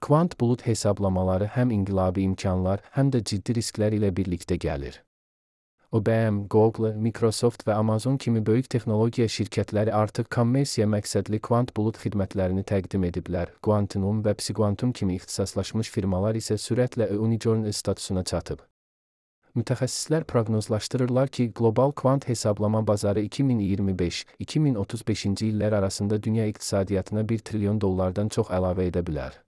Kvant bulut hesablamaları həm inqilabi imkanlar, həm də ciddi risklər ilə birlikdə gəlir. IBM, Google, Microsoft və Amazon kimi böyük texnologiya şirkətləri artıq kommersiya məqsədli kvant bulut xidmətlərini təqdim ediblər. Quantum və Psiquantum kimi ixtisaslaşmış firmalar isə sürətlə unicorn statusuna çatıb. Mütəxəssislər proqnozlaşdırırlar ki, qlobal kvant hesablama bazarı 2025-2035-ci illər arasında dünya iqtisadiyyatına $1 trilyon çox əlavə edə bilər.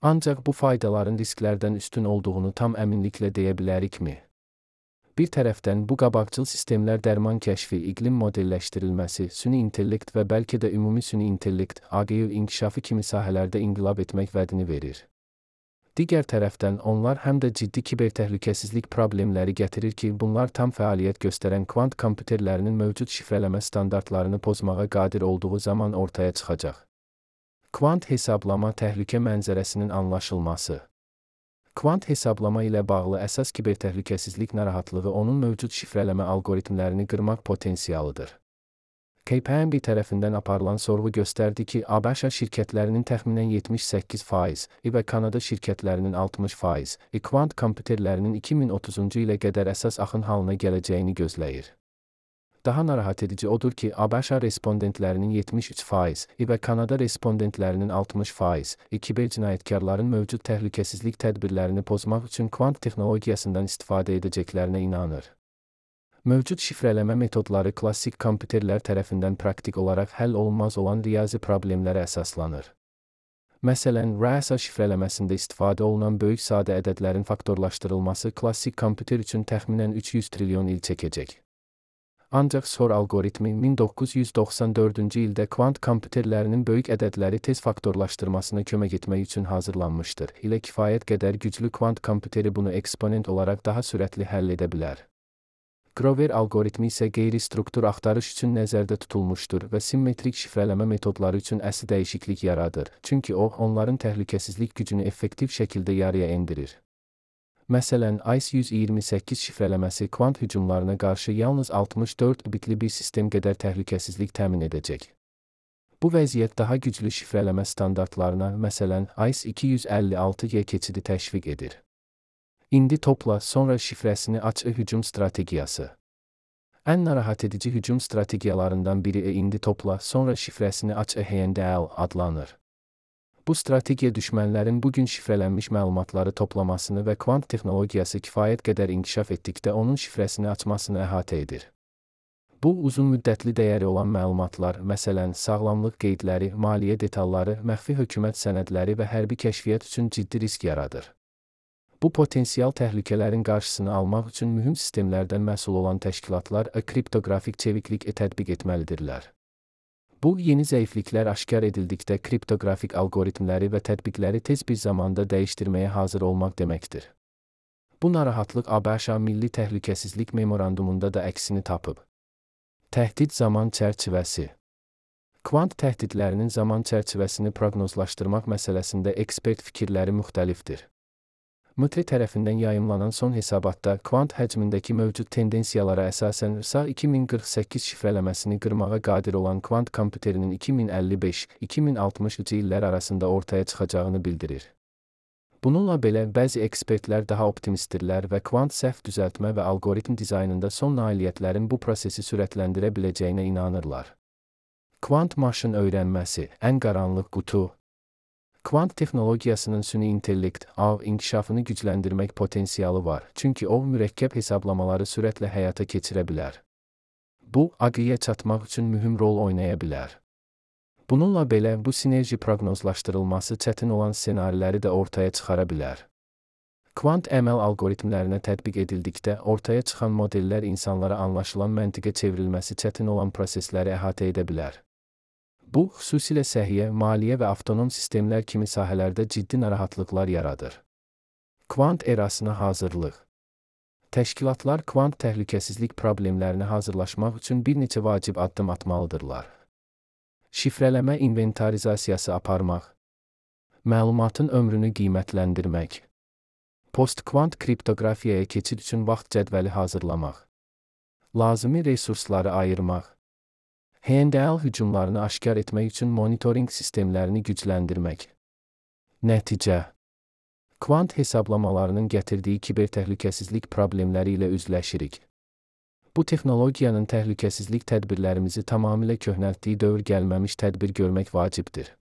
Ancaq bu faydaların risklərdən üstün olduğunu tam əminliklə deyə bilərikmi? Bir tərəfdən bu qabaqcıl sistemlər dərman kəşfi, iqlim modelləşdirilməsi, süni intellekt və bəlkə də ümumi süni intellekt, AGI inkişafı kimi sahələrdə inqilab etmək vədini verir. Digər tərəfdən onlar həm də ciddi kibertəhlükəsizlik problemləri gətirir ki, bunlar tam fəaliyyət göstərən kvant kompüterlərinin mövcud şifrələmə standartlarını pozmağa qadir olduğu zaman ortaya çıxacaq. Kvant hesablama təhlükə mənzərəsinin anlaşılması. Kvant hesablama ilə bağlı əsas kibertəhlükəsizlik narahatlığı onun mövcud şifrələmə algoritmlərini qırmaq potensialıdır. KPMG tərəfindən aparılan sorğu göstərdi ki, ABŞ şirkətlərinin təxminən 78% və Kanada şirkətlərinin 60% kvant kompüterlərinin 2030-cu ilə qədər əsas axın halına gələcəyini gözləyir. Daha narahat edici odur ki, ABŞ respondentlərinin 73% və Kanada respondentlərinin 60% kibercinayətkarların mövcud təhlükəsizlik tədbirlərini pozmaq üçün kvant texnologiyasından istifadə edəcəklərinə inanır. Mövcud şifrələmə metodları klassik kompüterlər tərəfindən praktik olaraq həll olunmaz olan riyazi problemlərə əsaslanır. Məsələn, RASA şifrələməsində istifadə olunan böyük sadə ədədlərin faktorlaşdırılması klassik kompüter üçün təxminən 300 trilyon il çəkəcək. Ancaq SOR algoritmi 1994-cü ildə kvant kompüterlərinin böyük ədədləri tez faktorlaşdırmasına kömək etmək üçün hazırlanmışdır. Ilə kifayət qədər güclü kvant kompüteri bunu eksponent olaraq daha sürətli həll edə bilər. Grover algoritmi isə qeyri-struktur axtarış üçün nəzərdə tutulmuşdur və simmetrik şifrələmə metodları üçün əsl dəyişiklik yaradır, çünki o, onların təhlükəsizlik gücünü effektiv şəkildə yarıya endirir. Məsələn, ICE-128 şifrələməsi kvant hücumlarına qarşı yalnız 64 bitli bir sistem qədər təhlükəsizlik təmin edəcək. Bu vəziyyət daha güclü şifrələmə standartlarına, məsələn, ICE-256Y keçidi təşviq edir. İndi topla, sonra şifrəsini aç hücum strategiyası. Ən narahat edici hücum strategiyalarından biri indi topla, sonra şifrəsini aç HNDL adlanır. Bu strategiya düşmənlərin bugün şifrələnmiş məlumatları toplamasını və kvant texnologiyası kifayət qədər inkişaf etdikdə onun şifrəsini açmasını əhatə edir. Bu, uzun müddətli dəyəri olan məlumatlar, məsələn, sağlamlıq qeydləri, maliyyə detalları, məxfi hökumət sənədləri və hərbi kəşfiyyat üçün ciddi risk yaradır. Bu potensial təhlükələrin qarşısını almaq üçün mühüm sistemlərdən məsul olan təşkilatlar kriptoqrafik çeviklik tətbiq etməlidirlər. Bu, yeni zəifliklər aşkar edildikdə kriptoqrafik algoritmləri və tətbiqləri tez bir zamanda dəyişdirməyə hazır olmaq deməkdir. Bu narahatlıq ABŞ Milli Təhlükəsizlik Memorandumunda da əksini tapıb. Təhdid zaman çərçivəsi. Kvant təhdidlərinin zaman çərçivəsini proqnozlaşdırmaq məsələsində ekspert fikirləri müxtəlifdir. MIT tərəfindən yayımlanan son hesabatda kvant həcmindəki mövcud tendensiyalara əsasən RSA 2048 şifrələməsini qırmağa qadir olan kvant kompüterinin 2055-2060-cı illər arasında ortaya çıxacağını bildirir. Bununla belə, bəzi ekspertlər daha optimistdirlər və kvant səhv düzəltmə və algoritm dizaynında son nailiyyətlərin bu prosesi sürətləndirə biləcəyinə inanırlar. Kvant maşın öyrənməsi, ən qaranlıq qutu. Kvant texnologiyasının süni intellekt, inkişafını gücləndirmək potensialı var, çünki o, mürəkkəb hesablamaları sürətlə həyata keçirə bilər. Bu, AGI-yə çatmaq üçün mühüm rol oynaya bilər. Bununla belə, bu sinerji proqnozlaşdırılması çətin olan ssenariləri də ortaya çıxara bilər. Kvant əməl algoritmlərinə tətbiq edildikdə, ortaya çıxan modellər insanlara anlaşılan məntiqə çevrilməsi çətin olan prosesləri əhatə edə bilər. Bu, xüsusilə səhiyyə, maliyyə və avtonom sistemlər kimi sahələrdə ciddi narahatlıqlar yaradır. Kvant erasına hazırlıq. Təşkilatlar kvant təhlükəsizlik problemlərinə hazırlaşmaq üçün bir neçə vacib addım atmalıdırlar. Şifrələmə inventarizasiyası aparmaq. Məlumatın ömrünü qiymətləndirmək. Post-kvant kriptoqrafiyaya keçid üçün vaxt cədvəli hazırlamaq. Lazımi resursları ayırmaq. HNDL hücumlarını aşkar etmək üçün monitoring sistemlərini gücləndirmək. Nəticə: kvant hesablamalarının gətirdiyi kibertəhlükəsizlik problemləri ilə üzləşirik. Bu texnologiyanın təhlükəsizlik tədbirlərimizi tamamilə köhnəltdiyi dövr gəlməmiş tədbir görmək vacibdir.